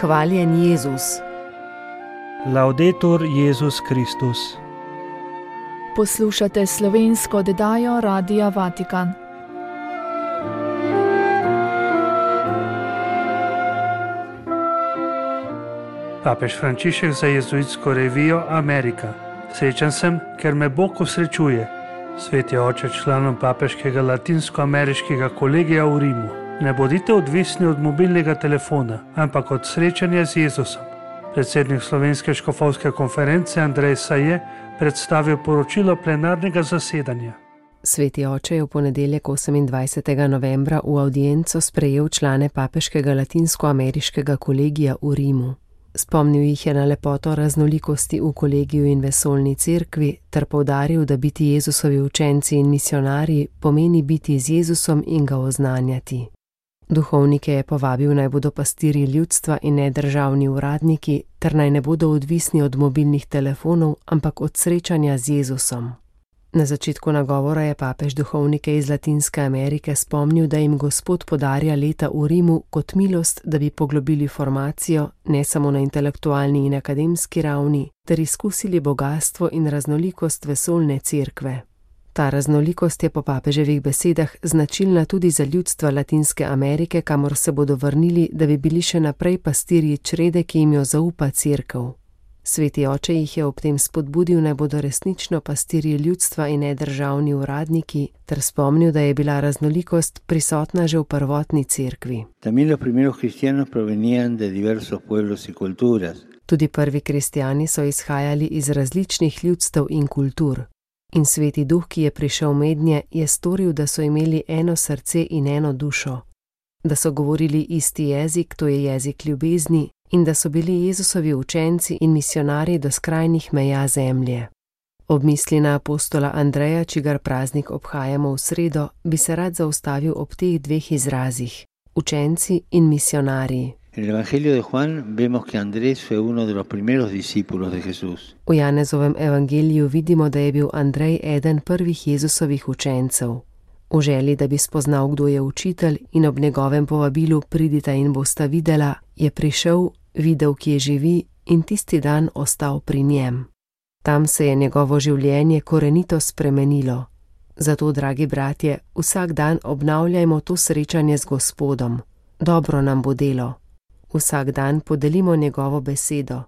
Hvaljen Jezus. Laudetur Jezus Kristus. Poslušate slovensko oddajo Radia Vatikan. Papež Frančišek za jezuitsko revijo Amerika. Srečen sem, ker me Bog osrečuje. Sveti oče članom papeškega latinsko-ameriškega kolegija v Rimu. Ne bodite odvisni od mobilnega telefona, ampak od srečanja z Jezusom. Predsednik Slovenske škofovske konference Andrej Saje predstavil poročilo plenarnega zasedanja. Sveti oče je v ponedeljek 28. novembra v audienco sprejel člane papeškega latinsko-ameriškega kolegija v Rimu. Spomnil jih je na lepoto raznolikosti v kolegiju in vesoljni cerkvi ter poudaril, da biti Jezusovi učenci in misionarji pomeni biti z Jezusom in ga oznanjati. Duhovnike je povabil, naj bodo pastirji ljudstva in ne državni uradniki, ter naj ne bodo odvisni od mobilnih telefonov, ampak od srečanja z Jezusom. Na začetku nagovora je papež duhovnike iz Latinske Amerike spomnil, da jim Gospod podarja leta v Rimu kot milost, da bi poglobili formacijo, ne samo na intelektualni in akademski ravni, ter izkusili bogastvo in raznolikost vesoljne cerkve. Ta raznolikost je po papeževih besedah značilna tudi za ljudstva Latinske Amerike, kamor se bodo vrnili, da bi bili še naprej pastirji črede, ki jim jo zaupa cerkev. Sveti oče jih je ob tem spodbudil, naj bodo resnično pastirji ljudstva in ne državni uradniki, ter spomnil, da je bila raznolikost prisotna že v prvotni cerkvi. Tudi prvi kristjani so izhajali iz različnih ljudstev in kultur. In Sveti Duh, ki je prišel mednje, je storil, da so imeli eno srce in eno dušo. Da so govorili isti jezik, to je jezik ljubezni, in da so bili Jezusovi učenci in misionarji do skrajnih meja zemlje. Ob misli na apostola Andreja, čigar praznik obhajamo v sredo, bi se rad zaustavil ob teh dveh izrazih: učenci in misionarji. V Janezovem evangeliju vidimo, da je bil Andrej eden prvih Jezusovih učencev. V želji, da bi spoznal, kdo je učitelj, in ob njegovem povabilu pridita in bosta videla, je prišel, videl, kje živi, in tisti dan ostal pri njem. Tam se je njegovo življenje korenito spremenilo. Zato, dragi bratje, vsak dan obnavljajmo to srečanje z Gospodom. Dobro nam bo delo. Vsak dan podelimo njegovo besedo.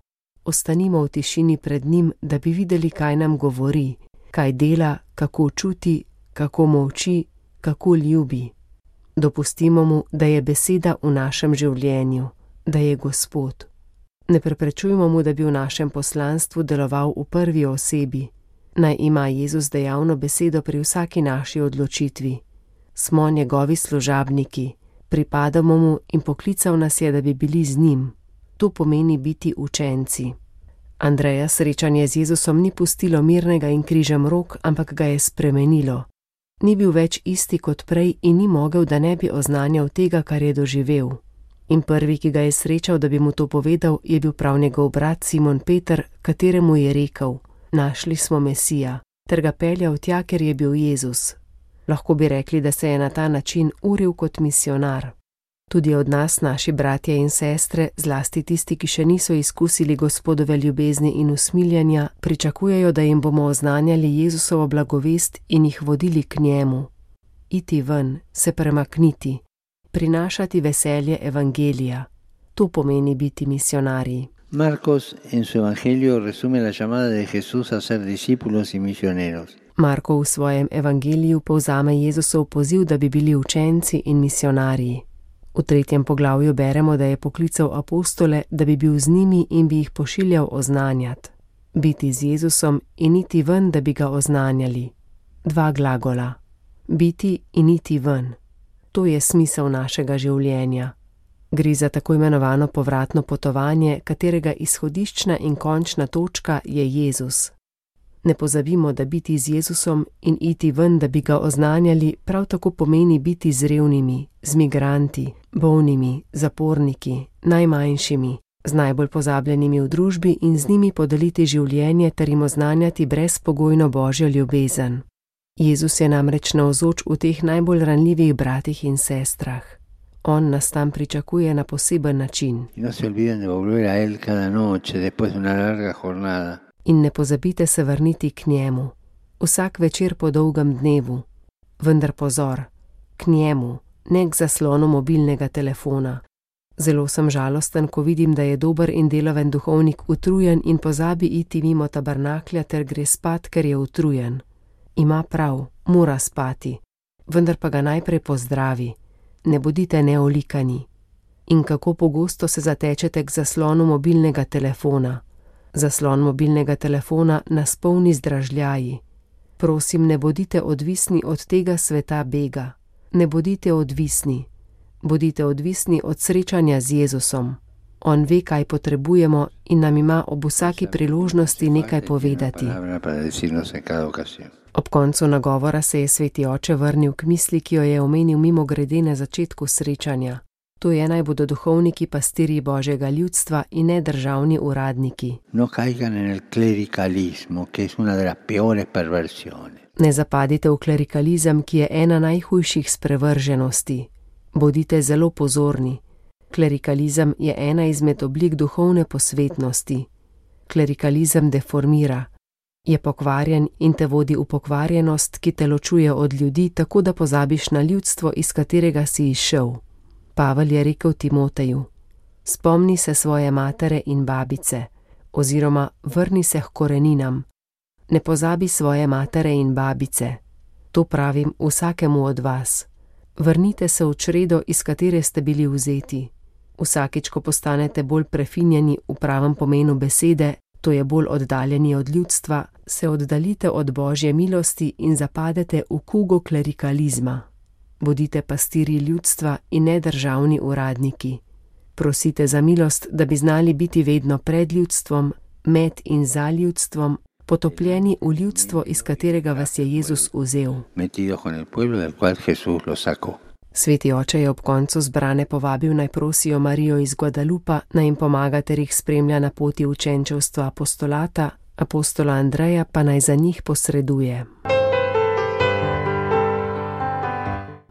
Ostanimo v tišini pred njim, da bi videli, kaj nam govori, kaj dela, kako čuti, kako molči, kako ljubi. Dopustimo mu, da je beseda v našem življenju, da je Gospod. Ne preprečujmo mu, da bi v našem poslanstvu deloval v prvi osebi. Naj ima Jezus dejavno besedo pri vsaki naši odločitvi. Smo njegovi služabniki, pripadamo mu in poklical nas je, da bi bili z njim. To pomeni biti učenci. Andreja srečanje z Jezusom ni pustilo mirnega in križem rok, ampak ga je spremenilo. Ni bil več isti kot prej in ni mogel, da ne bi oznanjal tega, kar je doživel. In prvi, ki ga je srečal, da bi mu to povedal, je bil prav njegov brat Simon Peter, kateremu je rekel: našli smo Mesija, ter ga peljal tja, ker je bil Jezus. Lahko bi rekli, da se je na ta način uril kot misionar. Tudi od nas, naši bratje in sestre, zlasti tisti, ki še niso izkusili Gospodove ljubezni in usmiljanja, pričakujejo, da jim bomo oznanjali Jezusovo blagovest in jih vodili k njemu. Iti ven, se premakniti, prinašati veselje evangelija. To pomeni biti misionarji. Marcos en su evangelio resume la llamada de Jesús a ser discípulos y misioneros. Marko v svojem evangeliju povzame Jezusov poziv, da bi bili učenci in misionarji. V 3. poglavju beremo, da je poklical apostole, da bi bil z njimi in bi jih pošiljal oznanjati. Biti z Jezusom in iti ven, da bi ga oznanjali. Dva glagola. Biti in iti ven. To je smisel našega življenja. Gre za tako imenovano povratno potovanje, katerega izhodiščna in končna točka je Jezus. Ne pozabimo, da biti z Jezusom in iti ven, da bi ga oznanjali, prav tako pomeni biti z revnimi, z migranti, bolnimi, zaporniki, najmanjšimi, z najbolj pozabljenimi v družbi in z njimi podeliti življenje ter jim oznanjati brezpogojno Božjo ljubezen. Jezus je namreč navzoč v teh najbolj ranljivih bratih in sestrah. On nas tam pričakuje na poseben način. No se olviden de volver a él cada noche después de una larga jornada. In ne pozabite se vrniti k njemu, vsak večer po dolgem dnevu. Vendar pozor, k njemu, ne k zaslonu mobilnega telefona. Zelo sem žalosten, ko vidim, da je dober in delaven duhovnik utrujen in pozabi iti mimo tabernaklja ter gre spat, ker je utrujen. Ima prav, mora spati, vendar pa ga najprej pozdravi. Ne bodite neolikani. In kako pogosto se zatečete k zaslonu mobilnega telefona. Zaslon mobilnega telefona nas polni z dražljaji. Prosim, ne bodite odvisni od tega sveta bega. Ne bodite odvisni. Bodite odvisni od srečanja z Jezusom. On ve, kaj potrebujemo in nam ima ob vsaki priložnosti nekaj povedati. Ob koncu nagovora se je sveti oče vrnil k misli, ki jo je omenil mimogrede na začetku srečanja. To je, naj bodo duhovniki pastirji Božjega ljudstva in ne državni uradniki. Ne zapadite v klerikalizem, ki je ena najhujših sprevrženosti. Bodite zelo pozorni. Klerikalizem je ena izmed oblik duhovne posvetnosti. Klerikalizem deformira. Je pokvarjen in te vodi v pokvarjenost, ki te ločuje od ljudi, tako da pozabiš na ljudstvo, iz katerega si izšel. Pavel je rekel Timoteju: spomni se svoje matere in babice, oziroma vrni se k koreninam. Ne pozabi svoje matere in babice. To pravim vsakemu od vas. Vrnite se v čredo, iz katere ste bili vzeti. Vsakič, ko postanete bolj prefinjeni v pravem pomenu besede, to je bolj oddaljeni od ljudstva, se oddaljite od Božje milosti in zapadete v kugo klerikalizma. Bodite pastirji ljudstva in ne državni uradniki. Prosite za milost, da bi znali biti vedno pred ljudstvom, med in za ljudstvom, potopljeni v ljudstvo, iz katerega vas je Jezus vzel. Sveti oče je ob koncu zbrane povabil, naj prosijo Marijo iz Guadalupa, naj jim pomaga ter jih spremlja na poti učenčevstva apostolata, apostola Andreja pa naj za njih posreduje.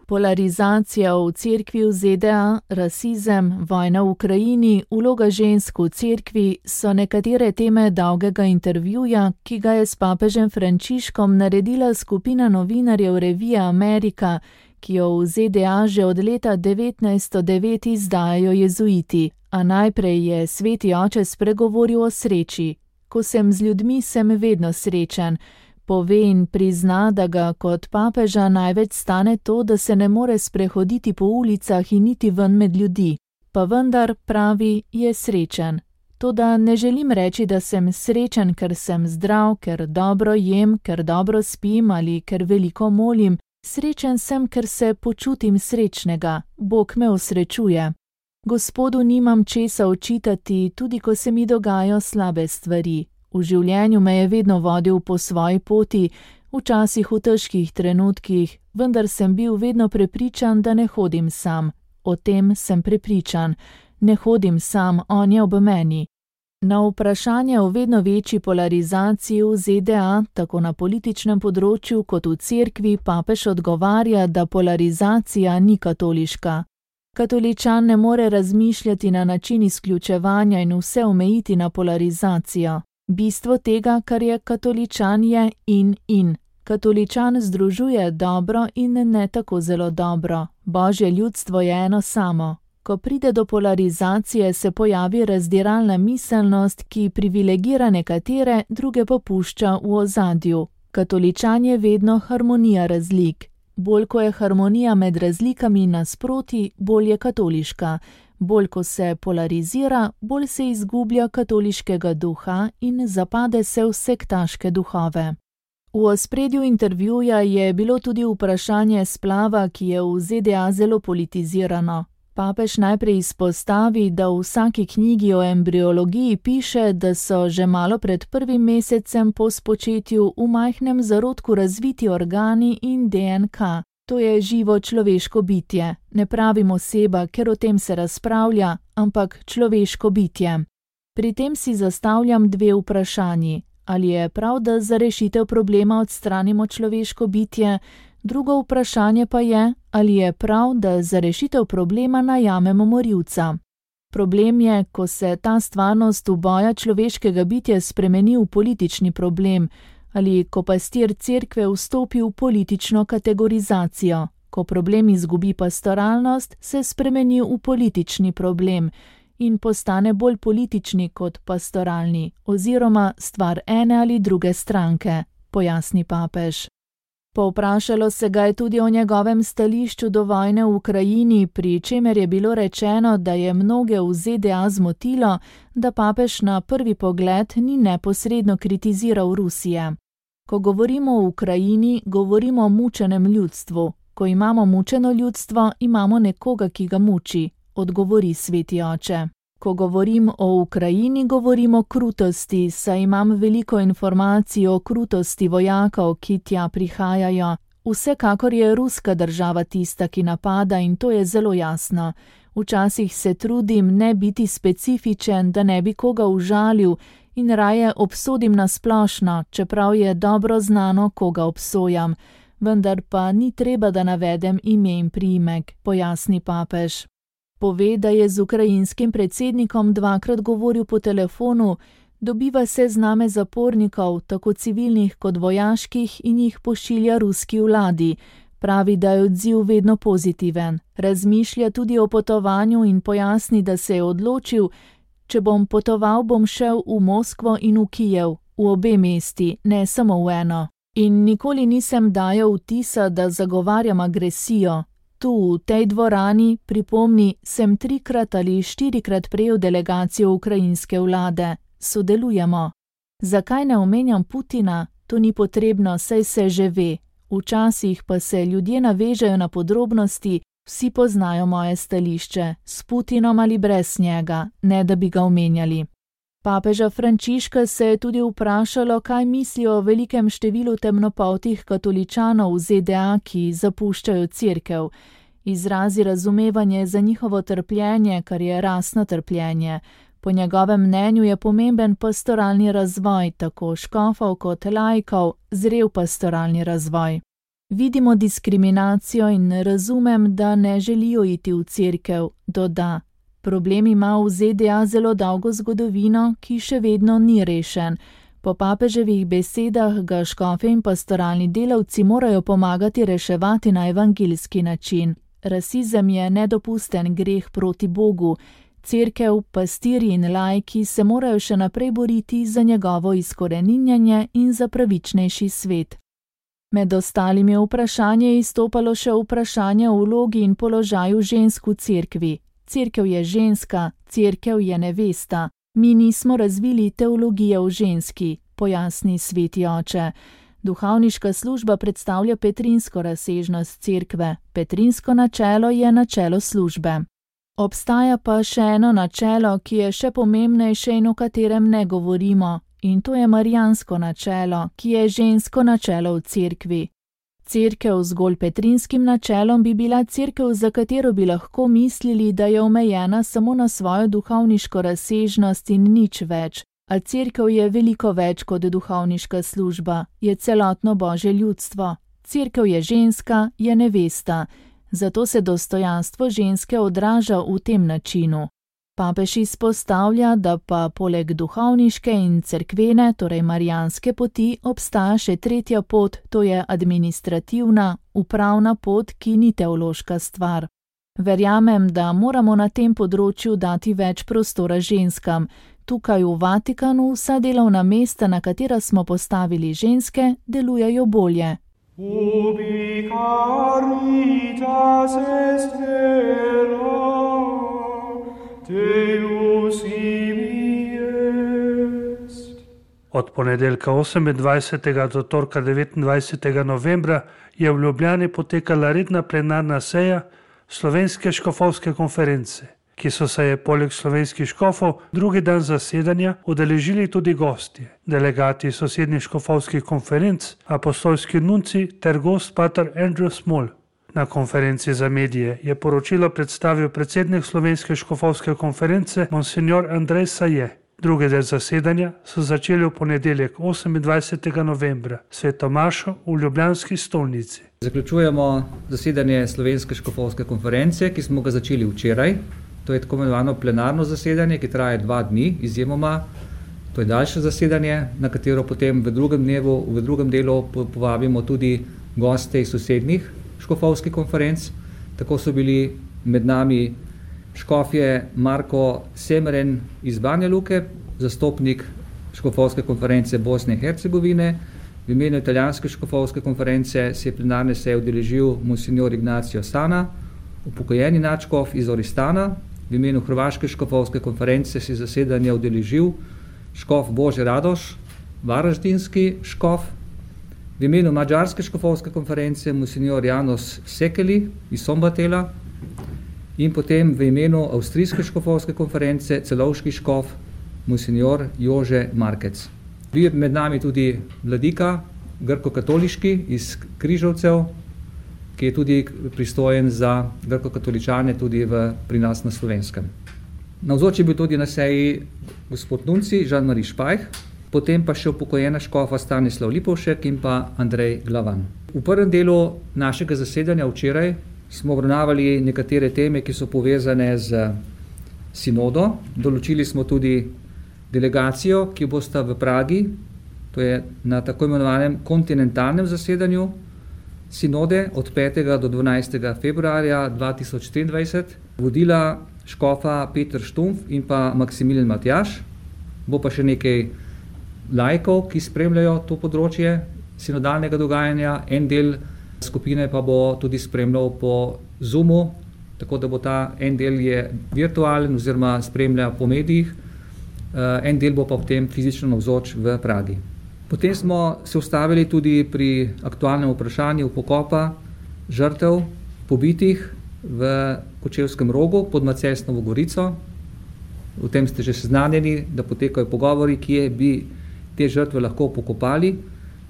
Polarizacija v cerkvi v ZDA, rasizem, vojna v Ukrajini, vloga žensk v cerkvi so nekatere teme dolgega intervjuja, ki ga je s papežem Frančiškom naredila skupina novinarjev revije Amerika, ki jo v ZDA že od leta 1909 izdajajo jezuiti. A najprej je sveti oče spregovoril o sreči. Ko sem z ljudmi, sem vedno srečen. Pove in prizna, da ga kot papeža največ stane to, da se ne more sprehoditi po ulicah in niti ven med ljudi. Pa vendar, pravi, je srečen. Toda ne želim reči, da sem srečen, ker sem zdrav, ker dobro jem, ker dobro spim ali ker veliko molim. Srečen sem, ker se počutim srečnega. Bog me osrečuje. Gospodu nimam česa očitati, tudi ko se mi dogajajo slabe stvari. V življenju me je vedno vodil po svoji poti, včasih v težkih trenutkih, vendar sem bil vedno prepričan, da ne hodim sam. O tem sem prepričan. Ne hodim sam, on je ob meni. Na vprašanje o vedno večji polarizaciji v ZDA, tako na političnem področju kot v cerkvi, papež odgovarja, da polarizacija ni katoliška. Katoličan ne more razmišljati na način izključevanja in vse omejiti na polarizacijo. Bistvo tega, kar je katoličan, je in. Katoličan združuje dobro in ne tako zelo dobro. Božje ljudstvo je eno samo. Ko pride do polarizacije, se pojavi razdiralna miselnost, ki privilegira nekatere, druge pa pušča v ozadju. Katoličan je vedno harmonija razlik. Bolj ko je harmonija med razlikami nasproti, bolj je katoliška. Bolj ko se polarizira, bolj se izgublja katoliškega duha in zapade se v sektaške duhove. V ospredju intervjuja je bilo tudi vprašanje splava, ki je v ZDA zelo politizirano. Papež najprej izpostavi, da v vsaki knjigi o embriologiji piše, da so že malo pred 1. mesecem po spočetju v majhnem zarodku razviti organi in DNK. To je živo človeško bitje. Ne pravim oseba, ker o tem se razpravlja, ampak človeško bitje. Pri tem si zastavljam dve vprašanji. Ali je prav, da za rešitev problema odstranimo človeško bitje? Drugo vprašanje pa je, ali je prav, da za rešitev problema najamemo morilca. Problem je, ko se ta stvarnost uboja človeškega bitja spremeni v politični problem, ali ko pastir cerkve vstopi v politično kategorizacijo. Ko problem izgubi pastoralnost, se spremeni v politični problem in postane bolj politični kot pastoralni, oziroma stvar ene ali druge stranke, pojasni papež. Povprašalo se ga je tudi o njegovem stališču do vojne v Ukrajini, pri čemer je bilo rečeno, da je mnoge v ZDA zmotilo, da papež na prvi pogled ni neposredno kritiziral Rusije. Ko govorimo o Ukrajini, govorimo o mučenem ljudstvu. Ko imamo mučeno ljudstvo, imamo nekoga, ki ga muči, odgovori sveti oče. Ko govorim o Ukrajini, govorim o krutosti, saj imam veliko informacij o krutosti vojakov, ki tja prihajajo. Vsekakor je ruska država tista, ki napada, in to je zelo jasno. Včasih se trudim ne biti specifičen, da ne bi koga užalil, in raje obsodim na splošno, čeprav je dobro znano, koga obsojam. Vendar pa ni treba, da navedem ime in priimek, pojasni papež. Pove, da je z ukrajinskim predsednikom dvakrat govoril po telefonu, dobiva sezname zapornikov, tako civilnih kot vojaških, in jih pošilja ruski vladi. Pravi, da je odziv vedno pozitiven. Razmišlja tudi o potovanju in pojasni, da se je odločil, če bom potoval, bom šel v Moskvo in v Kijev, v obe mesti, ne samo v eno. In nikoli nisem dajal vtisa, da zagovarjam agresijo. Tu, v tej dvorani, pripomni, sem 3 ali 4 prejel delegacijo ukrajinske vlade. Sodelujemo. Zakaj ne omenjam Putina? To ni potrebno, saj se že ve. Včasih pa se ljudje navežejo na podrobnosti, vsi poznajo moje stališče, s Putinom ali brez njega, ne da bi ga omenjali. Papeža Frančiška se je tudi vprašalo, kaj mislijo o velikem številu temnopoltih katoličanov v ZDA, ki zapuščajo cerkev. Izrazi razumevanje za njihovo trpljenje, kar je rasno trpljenje. Po njegovem mnenju je pomemben pastoralni razvoj, tako škofov kot laikov, zrel pastoralni razvoj. Vidimo diskriminacijo in razumem, da ne želijo iti v cerkev, doda. Problem ima v ZDA zelo dolgo zgodovino, ki še vedno ni rešen. Po papeževih besedah ga škofe in pastoralni delavci morajo pomagati reševati na evangeljski način. Rasizem je nedopusten greh proti Bogu. Cerkev, pastirji in laiki se morajo še naprej boriti za njegovo izkoreninjanje in za pravičnejši svet. Med ostalimi vprašanji je izstopalo še vprašanje o vlogi in položaju žensk v cerkvi. Cerkev je ženska, cerkev je nevesta. Mi nismo razvili teologije o ženski, pojasni sveti oče. Duhovniška služba predstavlja petrinsko razsežnost cerkve. Petrinsko načelo je načelo službe. Obstaja pa še eno načelo, ki je še pomembnejše in o katerem ne govorimo, in to je marijansko načelo, ki je žensko načelo v cerkvi. Cerkev zgolj petrinskim načelom bi bila cerkev, za katero bi lahko mislili, da je omejena samo na svojo duhovniško razsežnost in nič več. A cerkev je veliko več kot duhovniška služba, je celotno Božje ljudstvo. Cerkev je ženska, je nevesta. Zato se dostojanstvo ženske odraža v tem načinu. Papež izpostavlja, da pa poleg duhovniške in cerkvene, torej marijanske poti, obstaja še tretja pot, to je administrativna, upravna pot, ki ni teološka stvar. Verjamem, da moramo na tem področju dati več prostora ženskam. Tukaj v Vatikanu vsa delovna mesta, na katera smo postavili ženske, delujejo bolje. Ubi caritas est vera, Deus ibi est. Od ponedeljka 28. do torka 29. novembra je v Ljubljani potekala redna plenarna seja Slovenske škofovske konference, ki so se je poleg slovenskih škofov drugi dan zasedanja udeležili tudi gostje, delegati sosednjih škofovskih konferenc, apostolski nunci ter gost pater Andrew Small. Na konferenci za medije je poročilo predstavil predsednik Slovenske škofovske konference Monsignor Andrej Saje. Drugi del zasedanja so začeli v ponedeljek 28. novembra Sveto mašo v ljubljanski stolnici. Zaključujemo zasedanje Slovenske škofovske konference, ki smo ga začeli včeraj. To je tako imenovano plenarno zasedanje, ki traja 2 dni, izjemoma. To je daljše zasedanje, na katero potem v drugem delu povabimo tudi goste iz sosednjih škofovskih konferenc. Tako so bili med nami škofje Marko Semeren iz Banja Luke, zastopnik škofovske konference Bosne in Hercegovine. V imenu italijanske škofovske konference se je plenarne seje udeležil monsignor Ignacio Sana, upokojeni nadškof iz Oristana. V imenu hrvaške škofovske konference se je zasedanja udeležil škof Bože Radoš, varaždinski škof. V imenu mađarske škofovske konference monsignor Janos Sekeli iz Sombatela. In potem v imenu avstrijske škofovske konference celovški škof monsignor Jože Markec. Bil je med nami tudi vladika, grko-katoliški iz Križevcev, ki je tudi pristojen za grko-katoličane tudi pri nas na Slovenskem. Navzoč je bil tudi na seji gospod nunci Jean-Marie Špajh, potem pa še upokojena škofa Stanislav Lipovšek in pa Andrej Glavan. V prvem delu našega zasedanja včeraj smo obravnavali nekatere teme, ki so povezane z sinodo. Določili smo tudi delegacijo, ki bosta v Pragi, to je na tako imenovanem kontinentalnem zasedanju sinode od 5. do 12. februarja 2023, vodila škofa Peter Štumpf in pa Maksimilijan Matjaž. Bo pa še nekaj laikov, ki spremljajo to področje sinodalnega dogajanja. En del skupine pa bo tudi spremljal po Zoomu, tako da bo ta en del je virtualen oziroma spremlja po medijih, en del bo pa potem fizično navzoč v Pragi. Potem smo se ustavili tudi pri aktualnem vprašanju pokopa žrtev pobitih v Kočevskem Rogu pod Macesnovo Gorico. O tem ste že seznanjeni, da potekajo pogovori, kje bi te žrtve lahko pokopali.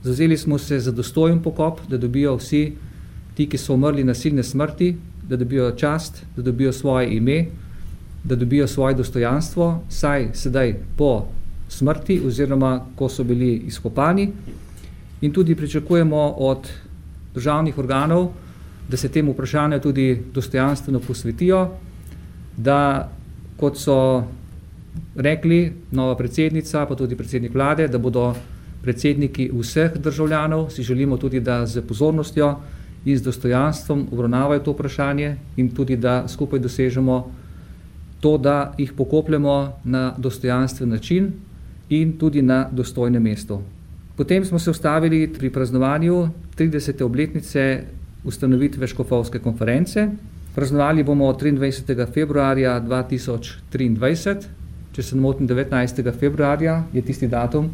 Zavzeli smo se za dostojen pokop, da dobijo vsi ti, ki so umrli nasilne smrti, da dobijo čast, da dobijo svoje ime, da dobijo svoje dostojanstvo, saj sedaj po smrti oziroma ko so bili izkopani. In tudi pričakujemo od državnih organov, da se temu vprašanju tudi dostojanstveno posvetijo, da kot so rekli nova predsednica, pa tudi predsednik vlade, da bodo predsedniki vseh državljanov, si želimo tudi, da z pozornostjo in z dostojanstvom obravnavajo to vprašanje in tudi, da skupaj dosežemo to, da jih pokopljemo na dostojanstven način in tudi na dostojnem mestu. Potem smo se ustavili pri praznovanju 30. obletnice ustanovitve škofovske konference. Praznovali bomo 23. februarja 2023, če se ne motim 19. februarja je tisti datum,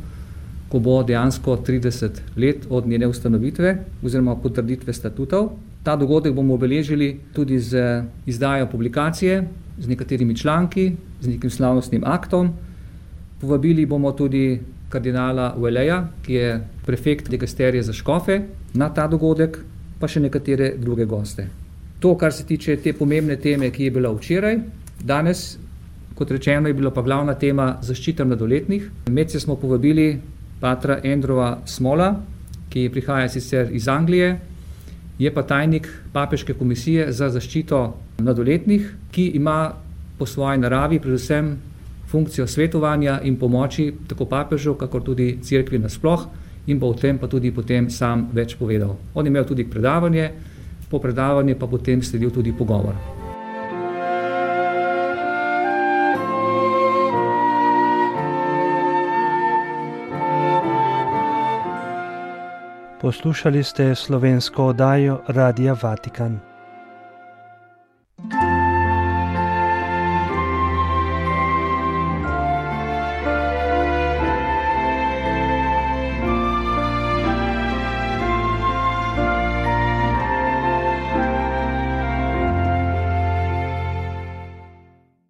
ko bo dejansko 30 let od njene ustanovitve oziroma potrditve statutov. Ta dogodek bomo obeležili tudi z izdajo publikacije, z nekaterimi članki, z nekim slavnostnim aktom. Povabili bomo tudi kardinala Ueleja, ki je prefekt digasterije za škofe, na ta dogodek, pa še nekatere druge goste. To, kar se tiče te pomembne teme, ki je bila včeraj, danes, kot rečeno, je bila pa glavna tema zaščita mladoletnih. Medse smo povabili patra Andrewa Smola, ki prihaja sicer iz Anglije, je pa tajnik papeške komisije za zaščito mladoletnih, ki ima po svoji naravi predvsem funkcijo svetovanja in pomoči tako papežu, kakor tudi cerkvi nasploh, in bo o tem pa tudi potem sam več povedal. On je imel tudi predavanje, po predavanju pa potem sledil tudi pogovor. Poslušali ste slovensko oddajo Radia Vatikan.